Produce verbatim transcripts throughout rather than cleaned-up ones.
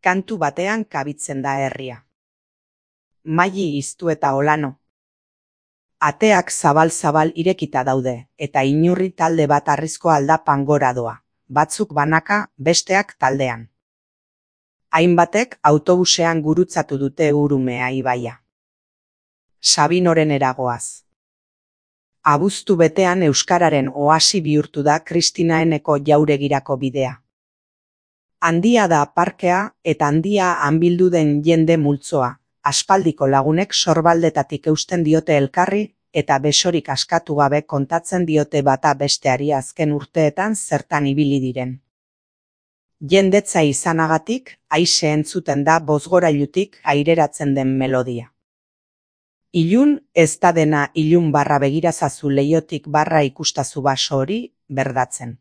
kantu batean kabitzen da herria. Maili iztu eta olano. Ateak zabal-zabal irekita daude, eta inurri talde bat harrizko aldapan gora doa, batzuk banaka, besteak taldean. Hainbatek autobusean gurutzatu dute Urumea ibaia. Sabinoren eragoaz. Abuztu betean euskararen oasi bihurtu da Kristinaeneko jauregirako bidea. Handia da parkea eta handia han bildu den jende multzoa, aspaldiko lagunek sorbaldetatik eusten diote elkarri eta besorik askatu gabe kontatzen diote bata besteari azken urteetan zertan ibili diren. Jendetza izanagatik, aise entzuten da bozgorailutik aireratzen den melodia. Ilun ez da dena ilun barra begirazazu leiotik barra ikustazu baso hori berdatzen.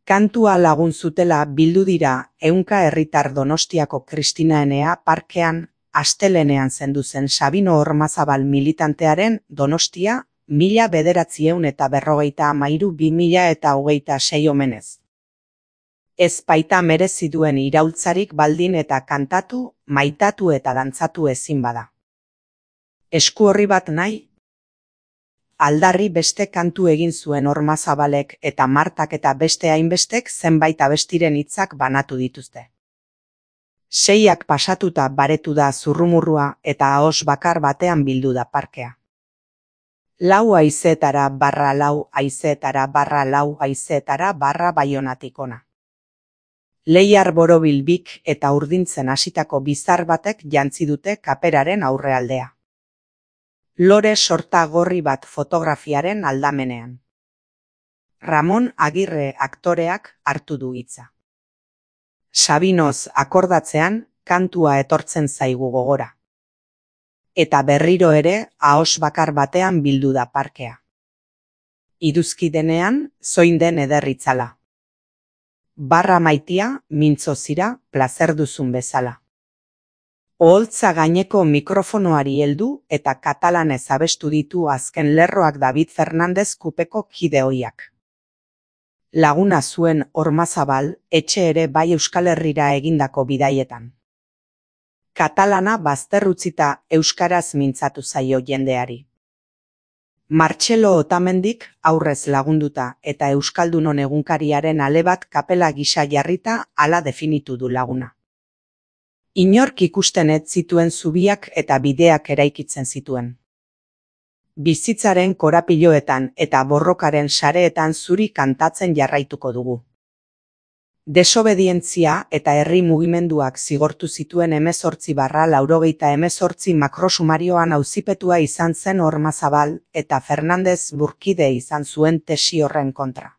Kantua lagun zutela bildu dira ehunka herritar Donostiako Kristinaenea parkean astelenean zendu zen Sabino Ormazabal militantearen Donostia mila bederatziehun eta berrogeita hamairu bi mila eta hogeita sei omenez. Ez baita merezi duen iraultzarik baldin eta kantatu, maitatu eta dantzatu ezin bada. Esku horri bat nahi? Aldarri beste kantu egin zuen Ormazabalek eta Martak eta beste hainbestek zenbait abestiren hitzak banatu dituzte. Seiak pasatuta baretu da zurrumurrua eta ahos bakar batean bildu da parkea. Lau haizeetara barra lau haizeetara barra lau haizeetara barra Baionatik ona. Leiar borobilbik eta urdintzen hasitako bizar batek jantzi dute kaperaren aurrealdea. Lore sorta gorri bat fotografiaren aldamenean. Ramon Agirre aktoreak hartu du hitza. Sabinoz akordatzean kantua etortzen zaigu gogora. Eta berriro ere ahos bakar batean bildu da parkea. Iduzki denean zoin den ederritzala. Barra maitia, mintzo zira, plazer duzun bezala. Oholtza gaineko mikrofonoari heldu eta katalanez abestu ditu azken lerroak David Fernandez kupeko kide ohiak. Laguna zuen Ormazabal, etxe ere bai Euskal Herrira egindako bidaietan. Katalana bazterrutzita euskaraz mintzatu zaio jendeari. Martxelo Otamendik aurrez lagunduta eta Euskaldunon egunkariaren ale bat kapela gisa jarrita hala definitu du laguna. Inork ikusten ez zituen zubiak eta bideak eraikitzen zituen. Bizitzaren korapiloetan eta borrokaren sareetan zuri kantatzen jarraituko dugu. Desobedientzia eta herri mugimenduak zigortu zituen hemezortzi barra laurogeita hemezortzi makrosumarioan auzipetua izan zen Ormazabal eta Fernandez burkide izan zuen tesi horren kontra.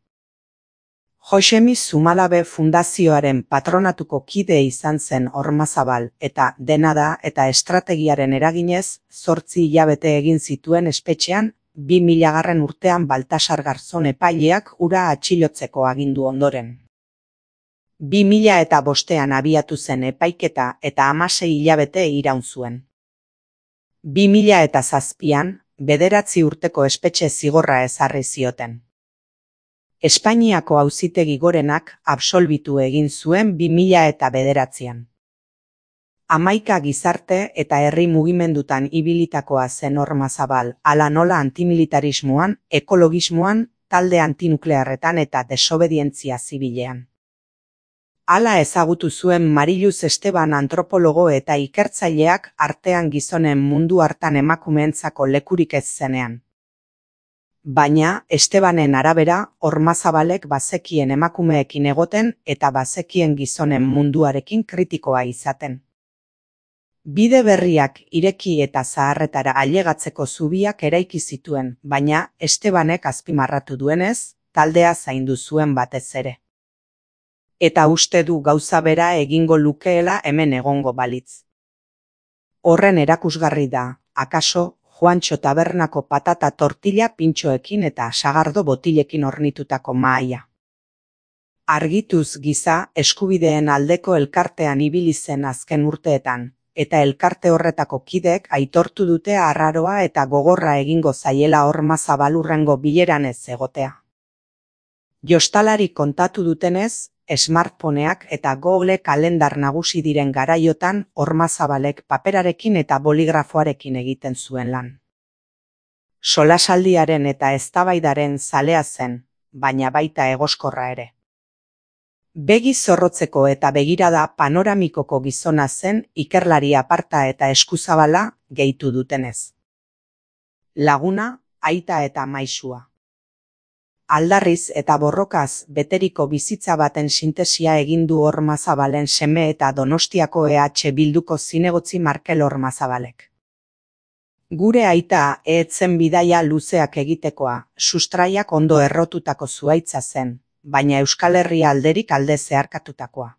Josemi Zumalabe Fundazioaren patronatuko kide izan zen Ormazabal eta dena da eta estrategiaren eraginez zortzi hilabete egin zituen espetxean bi milagarren urtean Baltasar Garzon epaileak hura atxilotzeko agindu ondoren. Bi mila eta bostean abiatu zen epaiketa eta hamasei hilabete iraun zuen. Bi mila eta zazpian bederatzi urteko espetxe zigorra ezarri zioten. Espainiako auzitegi gorenak absolbitu egin zuen bi mila eta bederatzian. Hamaika gizarte eta herri mugimendutan ibilitakoa zen Ormazabal, hala nola antimilitarismoan, ekologismoan, talde antinuklearretan eta desobedientzia zibilean. Hala ezagutu zuen Mariluz Esteban antropologo eta ikertzaileak artean gizonen mundu hartan emakumeentzako lekurik ez zenean. Baina, Estebanen arabera, Ormazabalek bazekien emakumeekin egoten eta bazekien gizonen munduarekin kritikoa izaten. Bide berriak ireki eta zaharretara ailegatzeko zubiak eraiki zituen, baina Estebanek azpimarratu duenez, taldea zaindu zuen batez ere. Eta uste du gauza bera egingo lukeela hemen egongo balitz. Horren erakusgarri da, akaso, Juantxo tabernako patata tortilla pintxoekin eta sagardo botilekin hornitutako mahaia. Argituz giza eskubideen aldeko elkartean ibili zen azken urteetan, eta elkarte horretako kideek aitortu dute arraroa eta gogorra egingo zaiela Ormazabal hurrengo bileran ez egotea. Jostalari kontatu dutenez, smartphoneak eta Google kalendar nagusi diren garaiotan Ormazabalek paperarekin eta boligrafoarekin egiten zuen lan. Solasaldiaren eta eztabaidaren zalea zen, baina baita egoskorra ere. Begi zorrotzeko eta begirada panoramikoko gizona zen ikerlari aparta eta eskuzabala gehitu dutenez. Laguna, aita eta maisua. Aldarriz eta borrokaz beteriko bizitza baten sintesia egin du Ormazabalen seme eta Donostiako E H Bilduko zinegotzi Markel Ormazabalek. Gure aita etzen bidaia luzeak egitekoa, sustraiak ondo errotutako zuaitza zen, baina Euskal Herria alderik alde zeharkatutakoa.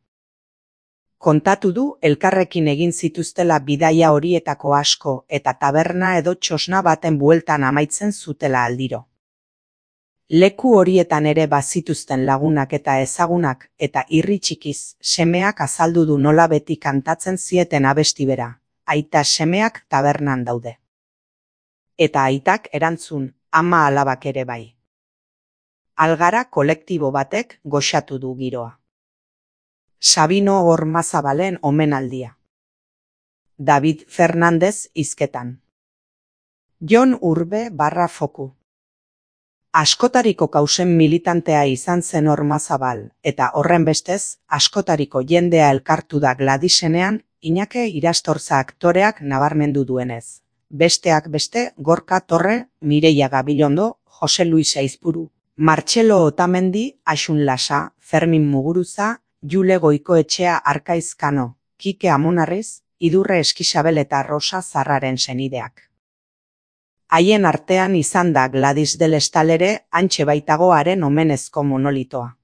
Kontatu du elkarrekin egin zituztela bidaia horietako asko eta taberna edo txosna baten bueltan amaitzen zutela aldiro. Leku horietan ere bazituzten lagunak eta ezagunak eta irri txikiz semeak azaldu du nola beti kantatzen zieten abesti bera, aita semeak tabernan daude. Eta aitak erantzun, ama alabak ere bai. Algara kolektibo batek goxatu du giroa. Sabino Ormazabalen omenaldia. David Fernandez hizketan. Jon Urbe barra foku. Askotariko kausen militantea izan zen Ormazabal, eta horren bestez, askotariko jendea elkartu da Gladisenean, Iñake Irastorza aktoreak nabarmendu duenez. Besteak beste, Gorka Torre, Mireia Gabilondo, Jose Luis Aizpuru, Martxelo Otamendi, Axun Lasa, Fermin Muguruza, Jule Goikoetxea Arkaizkano, Kike Amonarriz, Idurre Eskisabel eta Rosa Zarraren senideak. Haien artean izan da Gladys del Estal ere hantxe baitago haren omenezko monolitoa.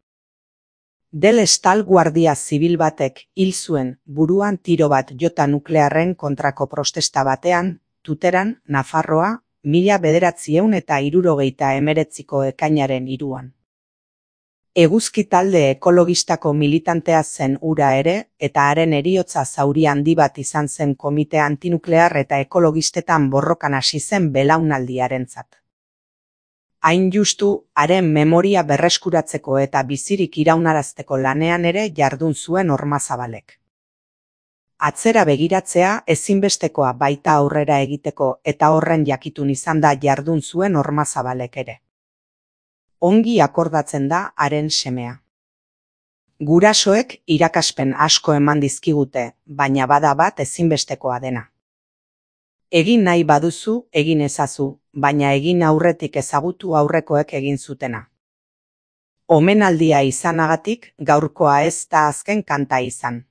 Del Estal guardia zibil batek hil zuen buruan tiro bat jota nuklearren kontrako protesta batean, Tuteran, Nafarroa, mila bederatziehun eta hirurogeita hemeretziko ekainaren hiruan. Eguzki talde ekologistako militantea zen hura ere, eta haren heriotza zauri handi bat izan zen komite antinuklear eta ekologistetan borrokan hasi zen belaunaldiarentzat. Hain justu, haren memoria berreskuratzeko eta bizirik iraunarazteko lanean ere jardun zuen Ormazabalek. Atzera begiratzea ezinbestekoa baita aurrera egiteko eta horren jakitun izan da jardun zuen Ormazabalek ere. Ongi akordatzen da haren semea. Gurasoek irakaspen asko eman dizkigute, baina bada bat ezinbestekoa dena. Egin nahi baduzu, egin ezazu, baina egin aurretik ezagutu aurrekoek egin zutena. Omenaldia izanagatik, gaurkoa ez da azken kanta izan.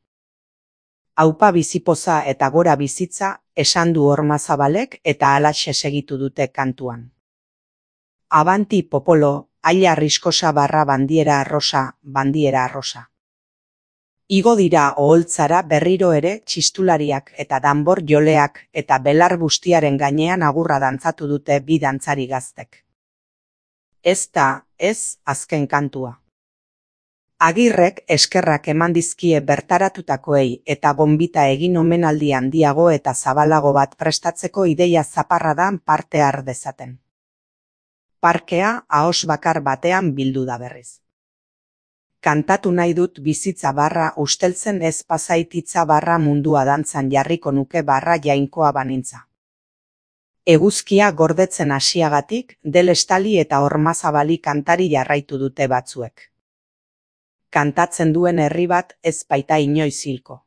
Aupa bizipoza eta gora bizitza, esan du Ormazabalek eta halaxe segitu dute kantuan. Abanti popolo, aila riskosa barra bandiera arrosa, bandiera arrosa. Igo dira oholtzara berriro ere txistulariak eta danbor joleak eta belar bustiaren gainean agurra dantzatu dute bi dantzari gaztek. Ez da, ez, azken kantua. Agirrek eskerrak eman dizkie bertaratutakoei eta gonbita egin omenaldi handiago eta zabalago bat prestatzeko ideia zaparradan parte har dezaten. Parkea ahos bakar batean bildu da berriz. Kantatu nahi dut bizitza barra usteltzen ez pasaititza barra mundua dantzan jarriko nuke barra jainkoa banintza. Eguzkia gordetzen hasiagatik, Del Estali eta Ormazabali kantari jarraitu dute batzuek. Kantatzen duen herri bat ez baita inoiz hilko.